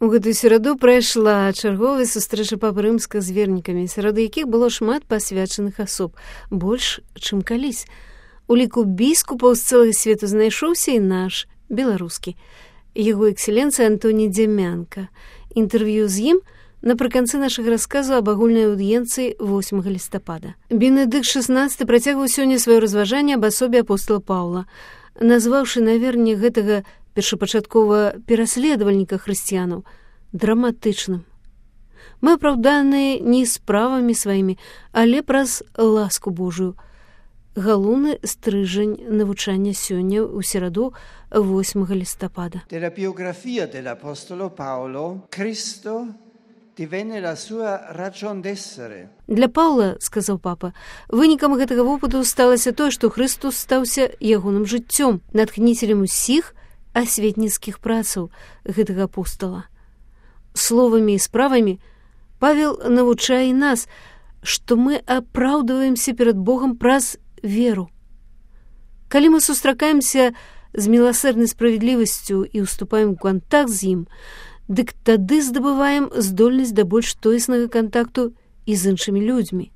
У гэтую сераду прайшла чарговая сустрэча папы рымскага з вернікамі, сярод якіх было шмат пасвячаных асоб, больш, чым калісь. У ліку біскупаў з цэлага свету знайшоўся і наш, беларускі, яго экселенцыя Антоній Дзямянка. Інтэрв'ю з ім напрыканцы нашага расказу аб агульнай аўдыенцыі 8 лістапада. Бенедыкт XVI працягваў сёння сваё разважанне аб асобе апостола Паўла, назваўшы наверне гэтага першапачаткова пераследавальніка хрысціянаў драматычным. Мы апраўданыя не справамі сваімі, але праз ласку Божую. Галоўны стрыжань навучання сёння ў сераду 8 лістапада. Della biografia dell'apostolo Paolo, Cristo divenne la sua ragion d'essere. Для Паўла, сказаў папа, вынікам гэтага вопыту сталася тое, што Христус стаўся ягоным жыццём, натхніцелем усіх асветніцкіх працаў гэтага апостола. Словамі і справамі Павел навучае нас, што мы апраўдваемся перад Богам праз веру. Калі мы сустракаемся з міласэрнай справядлівасцю і ўступаем у кантакт з ім, дык тады здабываем здольнасць да больш тоеснага кантакту і з іншымі людзьмі.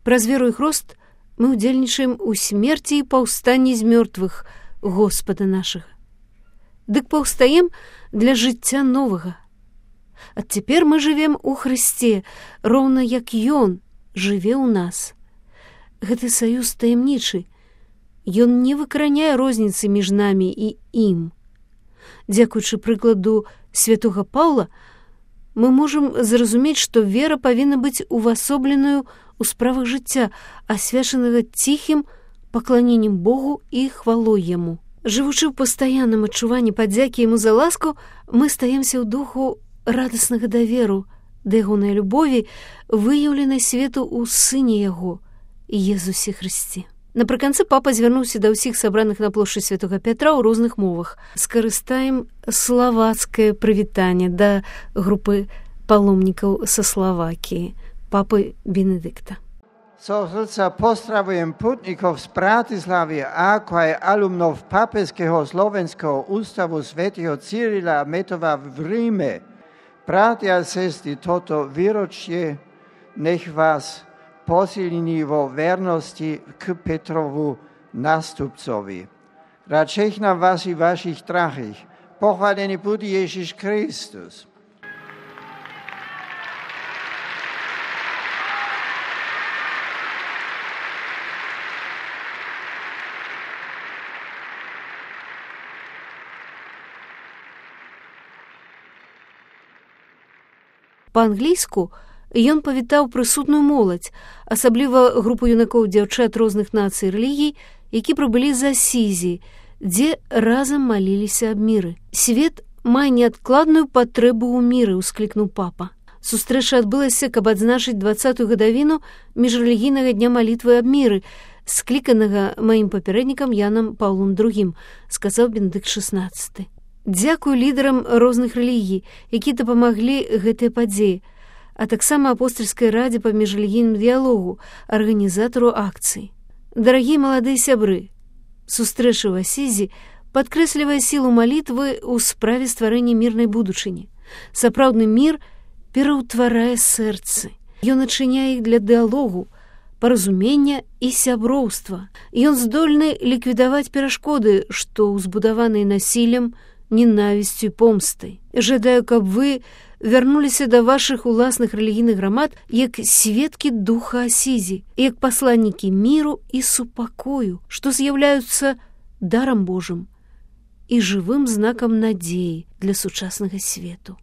Праз веру і хрост мы ўдзельнічаем у смерці і паўстанні з мёртвых Господа нашага. Дык паўстаем для жыцця новага. А цяпер мы жывем у Хрысце, роўна як Ён жыве ў нас. Гэты саюз таямнічы. Ён не выкараняе розніцы між намі і ім. Дзякуючы прыкладу святога Паўла, мы можам зразумець, што вера павінна быць увасобленаю ў справах жыцця, асвячанага ціхім пакланеннем Богу і хвалой Яму. Жывучы ў пастаянным адчуванні падзякі Яму за ласку, мы стаемся ў духу радаснага даверу да ягонай любові, выяўленай свету ў Сыне Яго, Езусе Хрысце. Напрыканцы папа звярнуўся да ўсіх сабраных на плошчы Святога Пятра ў розных мовах. Скарыстаем славацкае прывітанне да групы паломнікаў са Славакіі, папы Бенедыкта. Srdca pozdravujem putnikov z Bratislavy, ako aj alumnov Pápežského slovenského ústavu svätého Cyrila a Metova v Ríme. Bratia a sestry, toto výročie nech vás posilní vo vernosti k Petrovu nástupcovi. Radšej na vás i vašich drahých. Pochválený buď Ježiš Kristus. Па-англійску ён павітаў прысутную моладзь, асабліва групу юнакоў дзяўчат розных нацый і рэлігій, які прыбылі з Асізі, дзе разам маліліся аб міры. Свет мае неадкладную патрэбу ў міры, усклікнуў папа. Сустрэча адбылася, каб адзначыць 20-ю гадавіну міжрэлігійнага дня малітвы аб міры, скліканага маім папярэднікам Янам Паўлом II, сказаў Бенедыкт XVI. Дзякую лідарам розных рэлігій, які дапамаглі гэтай падзеі, а таксама апостальскай радзе па міжрэлігійным дыялогу, арганізатару акцыі. Дарагія маладыя сябры, сустрэча ў Асізі падкрэслівае сілу малітвы ў справе стварэння мірнай будучыні. Сапраўдны мір пераўтварае сэрцы. Ён ачыняе іх для дыялогу, паразумення і сяброўства. Ён здольны ліквідаваць перашкоды, што ўзбудаваныя насіллем, ненавісцю і помстай. Жадаю, каб вы вярнуліся да вашых уласных рэлігійных грамад як сведкі духа Асізі, як пасланнікі міру і супакою, што з'яўляюцца дарам Божым і жывым знакам надзеі для сучаснага свету.